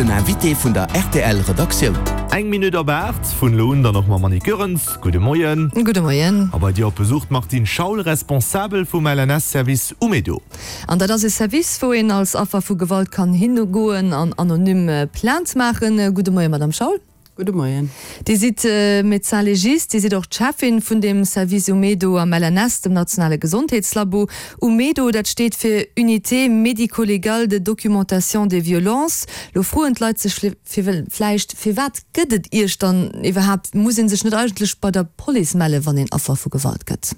Den Invité vun der rtl Redaktioun. Eng Minutt op 8, vun elo un dann och mam Monique Goerens. Gudde Moien. Gudde Moien. A bei dir op Besuch d'Martine Schaul, Responsabel vum LNS-Service Umedo. An dat ass e Service, wou een als Affer vu Gewalt kann higoen an anonym Plainte maachen. Gudde Moien, Madame Schaul. Gudde Moien. Dir sidd Médecin légiste, Dir sidd och d'Cheffin vun deem Service Umedo am LNS, dem nationale Gesondheetslabo. Umedo, dat steet fir Unité médico-légale de documentation des violences. Lo froen d'Leit sech vläicht, Firwat gëtt et Iech dann iwwerhaapt? Muss ee sech net eigentlech bei der Police mellen, wann een Affer vu Gewalt gëtt?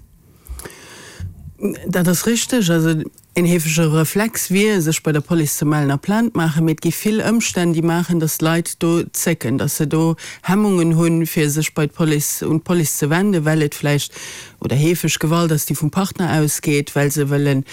Dat ass richteg. Also Een heefege Reflex wier, sech bei der Police ze mellen a Plainte maachen, mee et gi vill Ëmstänn, déi maachen, datt d'Leit do zécken, datt se do Hemmungen hunn, fir sech bei d'Police, un d'Police ze wenden, well et vläicht oder heefeg Gewalt ass, déi vum Partner ausgeet, well se wëllen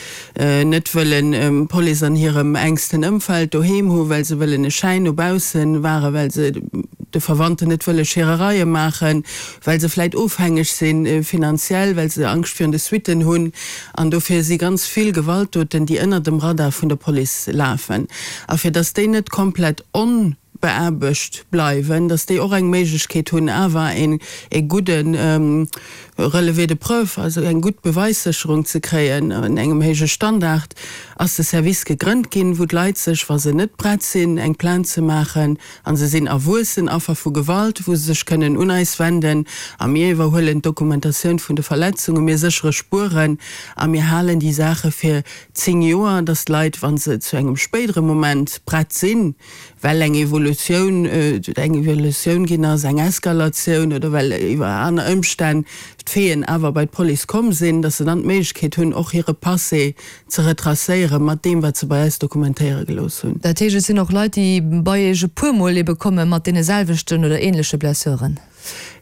net wëllen d'Police an hirem enksten Ëmfeld doheem hu, well se wëllen e Schäin no bausse wahren, well se de Verwandten net wëlle Scherereie maachen, well se vläicht ofhängeg si finanziell, well se Angscht virun de Suitten hunn. An dofir si ganz vill Gewaltdoten, déi ënner dem Radar vun der Police lafen. A fir datt déi net komplett onbeaarbecht bleiwen, datt déi och eng Méiglechkeet hunn, awer een e gudde Relevé de preuve, also eng gutt Beweissécherung ze kréien an engem héije Standard, ass de Service gegrënnt ginn, wou d'Leit sech, wa se net prett sinn, eng Plainte ze maachen, A se sinn erwuessen Affer vu Gewalt, wou se sech kënnen un eis wenden a mir iwwerhuelen d'Dokumentatioun vun de Verletzungen, mir séchere Spueren a mir halen déi Saache fir 10 Joer, dass d'Leit, wa se zu engem spéidere Moment prett sinn, well eng Evolutioun, eng Evolutioun ginn ass, eng Eskalatioun oder well iwwer aner Ëmstänn d'Faiten awer bei d'Police komm sinn, dass se dann d'Méiglechkeet hunn, och hire Passé ze retracéiere mat deem, wat se bei eis dokumentéiere gelooss hunn. Dat heescht, et sinn och Leit, déi bei Iech e puer Mol ebe komme mat deene selwechten oder änleche Blessuren?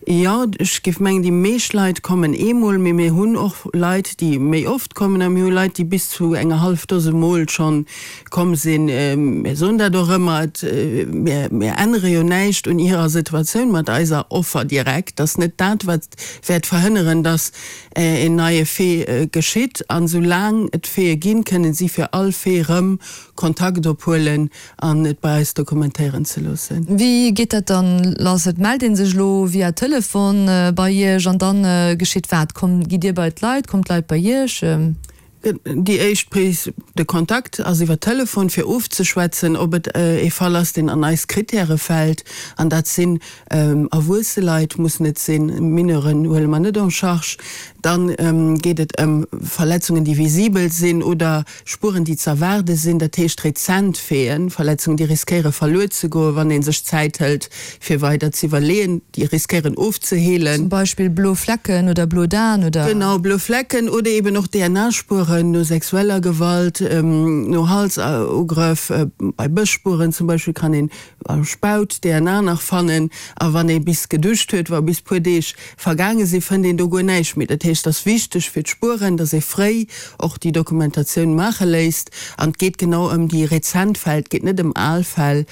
Jo, ech géif mengen, déi meescht Leit kommen eemol, mee mir hunn och Leit, déi méi oft kommen a mir hu Leit, déi bis zu enger hallef Dose Mol schonn komm sinn. Mir soen dat och ëmmer, et, mir, mir ännere jo näischt un hirer Situatioun mat eiser Offer direkt. Dat ass net dat, wat wäert verhënneren, dass een neie Fait geschitt. An esou laang et Faite ginn, kënnen si fir all Fait rëm Kontakt ophuelen an et bei eis dokumentéieren ze loossen. Wéi geet dat dann lass? Et mellt ee sech elo via Telefon bei Iech an dann geschitt wat? Kommt, gitt Dir bei d'Leit, kommt d'Leit bei Iech? Déi éischt Prise de contact ass iwwer Telefon, fir ofzeschwätzen, ob et ee Fall ass, deen an eis Kritäre fält. An dat sinn erwuesse Leit, mussen et sinn, Mineuren huele mer net en charge. Dann geet et ëm Verletzungen, déi visibel sinn oder Spueren, déi z'erwaarde sinn, dat heescht rezent Faiten, Verletzungen, déi riskéiere verluer ze goen, wann ee sech Zäit hëlt, fir weider z'iwwerleeën, déi riskéieren ofzeheelen. Zum Beispill blo Flecken oder blo Daen oder? Genau, blo Flecken oder eben och DNA-Spueren no sexueller Gewalt, no Halsugrëff. Bei Bësspueren zum Beispill kann een am Spaut DNA nach fannen. A wann ee bis geduscht huet, wa bis puer Deeg vergaange sinn, fënnt een do guer näischt méi. Dat heescht, et ass wichteg fir d'Spueren, dass ee fréi och déi Dokumentatioun maache léisst. An et geet genau ëm déi rezent Fäll, et geet net ëm al Fäll.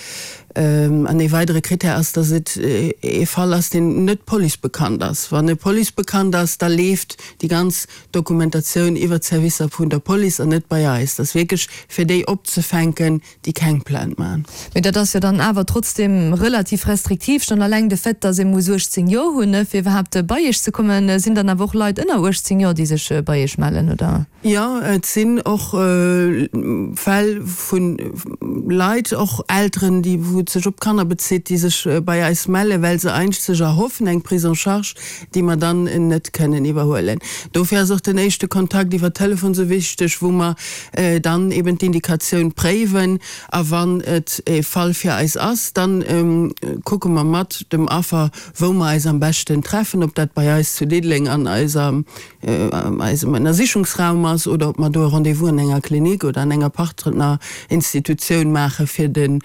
An ee weidere Krittär ass, dass et ee Fall ass, deen net policebekannt ass. Wann e policebekannt ass, da leeft déi ganz Dokumentatioun iwwer d'Servicer vun der Police an net bei eis. Dat ass wierklech fir déi opzefänken, déi keng Plainte maachen. Mee dat ass jo dann awer trotzdeem relativ restriktiv. Schonn alleng de Fait, dass ee muss 18 Joer hunn, fir iwwerhaapt bei Iech ze kommen. Sinn dann awer och Leit ënner 18 Joer, déi sech bei Iech mellen, oder? Jo, et sinn och Fäll vu Leit, och Elteren, déi, wou et sech op d'Kanner bezitt, déi sech bei eis mellen, well se eigentlech sech erhoffen eng Prise en charge, déi mer dann net kënnen iwwerhuelen. Dofir ass och den éischte Kontakt iwwer Telefon esou wichteg, wou mer dann eben d'Indikatioun préiwen. A wann et e Fall fir eis ass, dann kucke mer mat dem Affer, wou mer eis am beschten treffen, ob dat bei eis zu Diddeleng an eiser eisem Ënnersichungsraum ass oder ob mer do e Rendez-vous an enger Klinik oder an enger Partnerinstitutioun maache fir de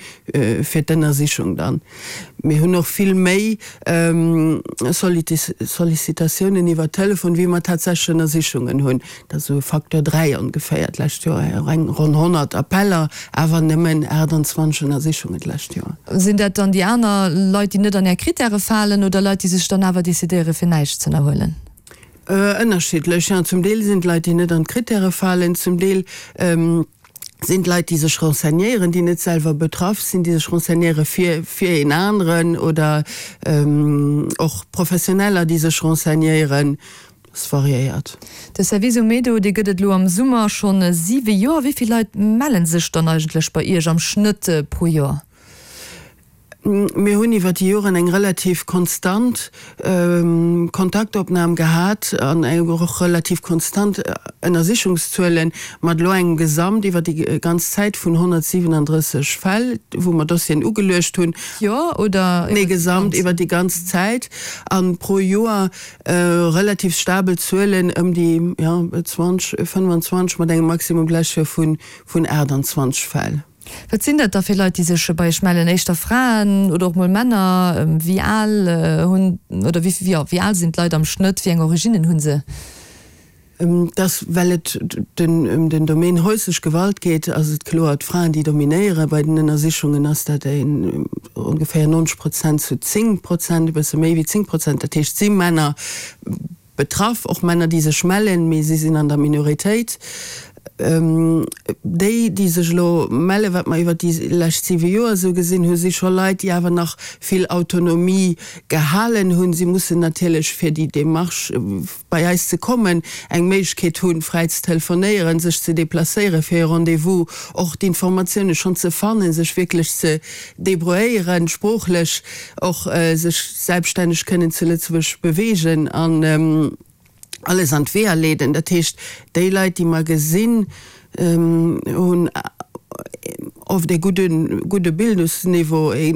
fir d'Ënnersichung dann. Mir hunn och vill méi Sollicitatiounen iwwer Telefon, wéi mer tatsächlech Ënnersichungen hunn. Dat ass esou e Facteur 3 ongeféier. D'lescht Joer och eng ronn 100 Appeller, awer nëmmen 28 Ënnersichungen d'lescht Joer. Sinn dat dann déi aner Leit, déi net an Är Krittäre falen oder Leit, déi sech dann awer decidéiere fir näischt z'ënnerhuelen? Ënnerschiddlech, jo. Zum Deel sinn et Leit, déi net an d'Krittäre falen, zum Deel. Sinn d'Leit, déi sech renseignéieren, déi net selwer betraff sinn, déi sech renseignéiere fir fir een aneren oder och Professioneller, déi sech renseignéieren. Es variéiert. De Service Umedo, dee gëtt et elo am Summer schonn siwe Joer. Wéi vill Leit melle sech dann eigentlech bei Iech am Schnëtt pro Joer? Mir hunn iwwer déi Joren eng relativ konstant Kontaktopnam gehat an och relativ konstant Ënnersichungszuelen, mat elo engem Gesamt iwwer déi ganz Zäit vun 137 Fäll, wou mer Dossieren ugeluecht hunn. Joer oder iwwer déi ganz? Nee, gesamt iwwer déi ganz Zäit a pro Joer relativ stabel Zuelen ëm déi, jo, 20, 25, mat engem Maximum d'lescht Joer vun 28 Fäll. Wat sinn dat da fir Leit, déi sech bei Iech mellen? Éischter Fraen oder och mol Männer? Wéi al hunn oder wéi, jo, wéi al sinn d'Leit am Schnëtt? Wéi eng Originnen hu se? Dass, well et den ëm den Domaine häuslech Gewalt geet, ass et kloer d'Fraen, déi dominéieren. Bei den Ënnersichungen ass dat een ongeféier 90 Prozent zu 10 Prozent, e bësse méi wéi 10 Prozent. Dat heescht, et si Männer. Betraff, och Männer, déi sech mellen, mee si sinn an der Minoritéit. Déi, déi sech elo mellen, wat mer iwwert déi lescht siwe Joer esou gesinn hunn, si scho Leit, déi awer nach vill Autonomie gehalen hunn. Si mussen natierlech, fir déi Démarche bei eis ze kommen, eng Méiglechkeet hunn, fräi ze telefonéieren, sech ze déplacéieren fir e Rendez-vous, och d'Informatioune schonn ze fannen, sech wierklech ze débrouilléieren, sproochlech och sech selbststänneg kënnen zu Lëtzebuerg beweegen an alles an d'Weeër leeden. Dat heescht, déi Leit, déi mer gesinn, hunn oft e gudde, gudde Bildungsniveau, e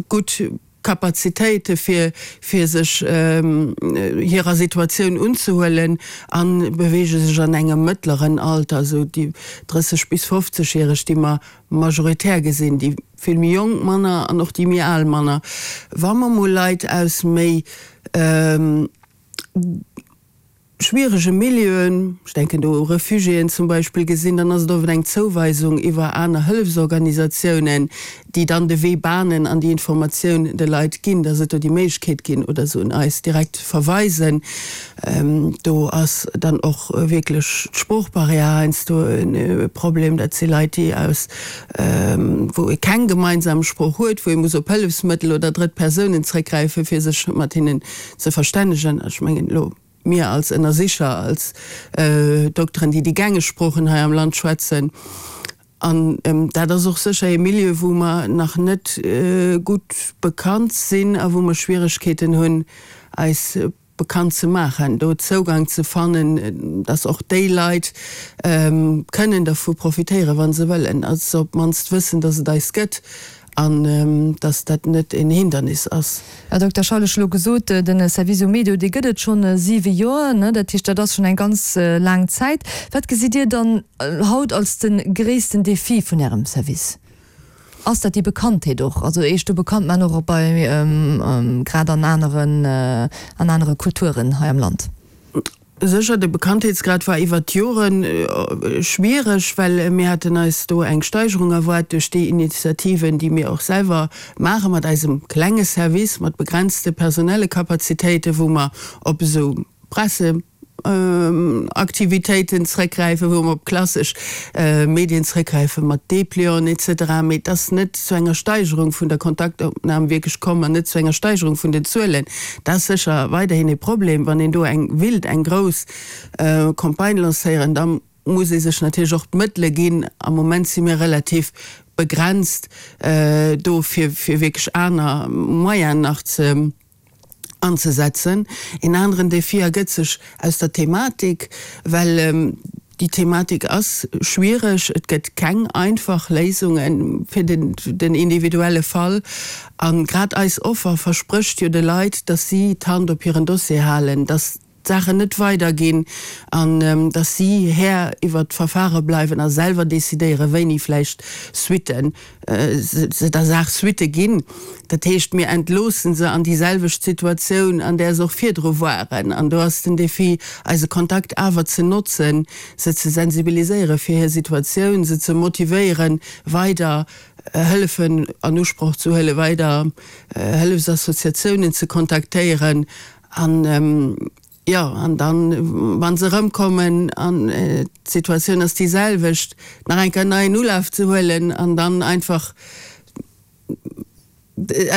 gutt Kapazitéite fir, fir sech hirer Situatioun unzehuelen a beweege sech an engem mëttleren Alter, esou déi 30 bis 50 järeg, déi mer majoritär gesinn, déi vill méi jonk manner an och déi méi al manner. Wa mer mol Leit aus méi schwierege Milieuen, ech denken do u Refugiéen zum Beispill, gesinn, dann ass et oft eng Zouweisung iwwer aner Hëllefsorganisatiounen, déi dann de Wee bahnen an déi Informatioun de Leit ginn, dass et do déi Méiglechkeet ginn oder se un eis direkt verweisen. Do ass dann och wierklech d'Sproochbarrière heiansdo e Problem. Dat si Leit, déi aus, wou ee keng gemeinsam Sprooch huet, wou ee muss op Hëllefsmëttel oder drëtt Persounen zréckgräifen, fir sech mat hinnen ze verstännegen. Ech mengen elo mir als Ënnersicher, als Dokteren, déi déi gängeg Sproochen hei am Land schwätzen. An dat ass och sécher ee Milieu, wou mer nach net gutt bekannt sinn a wou mer Schwieregkeeten hunn, eis bekannt ze maachen, do Zougang ze fannen, dass och déi Leit kënnen dervu profitéieren, wa se wëllen, a se op d'mannst wëssen, dass et eis gëtt an dass dat net een Hindernis ass. Här Dokter Schaul, ech hu lo gesot, de Service Umedo, dee gëtt et schonn siwe Joer, ne? Dat heescht, dat ass schonn eng ganz laang Zäit. Wat gesitt Dir dann haut als de gréissten Defi vun Ärem Service? Ass dat déi Bekanntheet och, also Iech do bekannt maachen, och bei, grad an aneren, an anere Kulturen hei am Land? Sécher, de Bekanntheetsgrad war iwwert d'Jore schwiereg, well mir haten eis do eng Steigerung erwaart duerch déi Initiativen, déi mir och selwer maache mat eisem klenge Service, mat begrenzte personelle Kapazitéiten, wou mer op esou Presseaktivitéiten zrëckgräifen, wou mer op klassesch Medien zrëckgräifen, mat Déplianten et cetera. Mee et ass net zu enger Steigerung vun der Kontaktopnam wierklech komm an net zu enger Steigerung vun den Zuelen. Dat ass sécher weiderhin ee Problem. Wann een do eng willt eng grouss Campagne lancéieren, da muss ee sech natierlech och d'Mëttele ginn. Am Moment si mir relativ begrenzt do, fir wierklech aner Moyenen nach ze anzesetzen. Een aneren Défi ergëtt sech aus der Thematik, well déi Thematik ass schwiereg. Et gëtt keng einfach Léisunge fir den individuelle Fall. A grad eis Offer versprécht jo de Leit, dass si d'Hand op hiren Dossier halen, dass d'Saachen net weiderginn an dass si Här iwwert d'Verfare bleiwen a selwer decidéieren, wéini vläicht Suitten se der Saach Suitte ginn. Dat heescht, mir entloosse se an déi selwecht Situatioun, an där se och virdru waren. An do ass den Défi, eise Kontakt awer ze notzen, se ze sensibiliséiere fir hir Situatioun, se ze motivéieren, weider Hëllefen an Usproch ze huelen, weider Hëllefsassociatiounen ze kontaktéieren an. Jo, an dann, wa se erëmkommen an d'Situatioun ass déi selwecht, nach eng Kéier en neien Ulaf ze huelen an dann einfach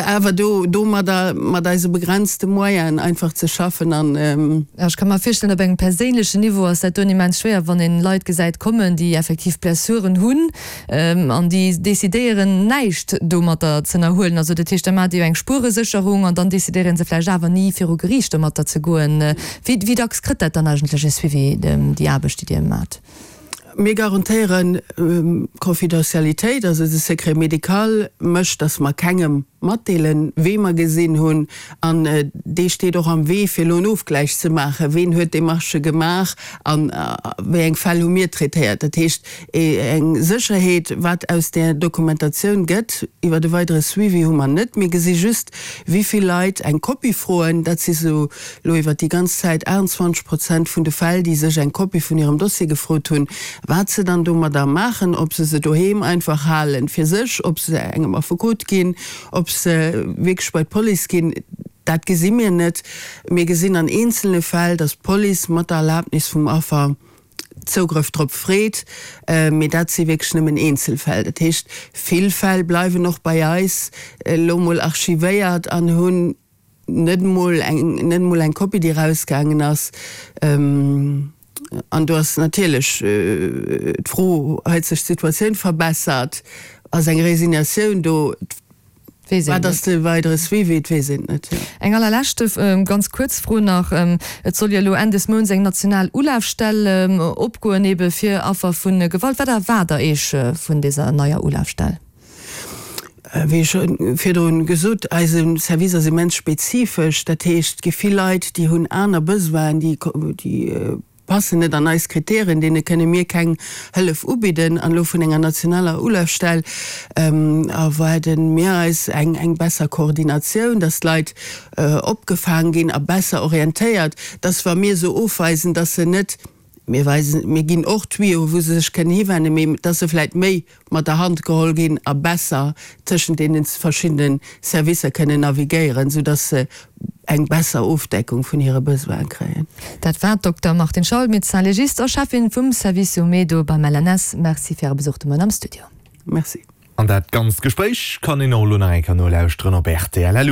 awer do domadder mat eise begrenzte Moyenen einfach ze schaffen an. Jo, ech ka mer virstellen, op engem perséinlechen Niveau ass dat doen immens schwéier, wann een Leit gesäit kommen, déi effektiv Blessuren hunn an déi decidéieren näischt domatter z'ënnerhuelen. Also dat heescht, da maacht Dir jo eng Spueresécherung an dann decidéiere se vläicht awer ni viru Geriicht domatter ze goen. Wéi wéi dacks kritt dat dann eigentlech e Suivi, déi Aarbecht, déi Dir maacht? Mir garantéieren d'Confidentialitéit, also de Secret médical mécht, datt mer kengem matdeelen, wee mer gesinn hunn. An dee steet och am Wee, fir elo en Ofgläich ze maachen, ween huet Demarchë gemaach a wéi eng Fäll hu mir traitéiert. Dat heescht, eng Sécherheet, wat aus där Dokumentatioun gëtt iwwer e weidere Suivi, hu mer net. Mir gesi just, wéi vill Leit eng Kopie froen. Dat si sou elo iwwer déi ganz Zäit 28 Prozent vun de Fäll, déi sech eng Kopie vun hirem Dossier gefrot hunn. Wat se dann domadder maachen, ob se se doheem einfach halen fir sech, ob se engem Affekot ginn, ob se wierklech bei d'Police ginn, dat gesi mir net. Mir gesinn an eenzelne Fäll, datt d'Police mat der Erlaabnis vum Affer Zougrëff drop freet, mee dat si wierklech nëmmen Eenzelfäll. Dat heescht, vill Fäll bleiwen och bei eis elo mol archivéiert an hunn net emol eng, net emol eng Kopie, déi erausgaangen ass. An do ass natierlech d'Fro, Huet sech d'Situatioun verbessert? Ass eng Resignatioun do? Weess een Wat ass net. de weidere Suivi? Et weess een et net, jo. Eng allerleschte ganz kuerz Fro nach, Et soll jo elo Enn des Mounts eng national Ulafstell opgoen, ebe fir Affer vu Gewalt. Wat erwaart Der Iech vun deser neier Ulafstell? Wéi scho virdrun gesot, eise Service ass immens spezifesch. Dat heescht, et gi vill Leit, déi hunn aner Besoinen, déi passen net an eis Kriterien, deene kënne mir keng Hëllef ubidden. An elo vun enger nationaler Ulafstell erwaarde mir eis eng besser Koordinatioun, dass d'Leit opgefaang ginn a besser orientéiert, dass wa mir se ofweisen, dass se net, mir weisen, mir ginn och Tuyauxen, wou se sech kënnen hiwennen, mee dass se vläicht méi mat der Hand geholl ginn a besser tëschent deene verschiddene Servicer kënnen navigéieren, soudass se eng besser Ofdeckung vun hire Besoine kréien. Dat war d'Dokter Martine Schaul, Médecin légiste a Cheffin vum Service Umedo beim LNS. Merci fir Äre Besuch de Moien am Studio. Merci. An dat ganzt Gespréich kann een och elo nach eng Kéier nolauschteren op rtl.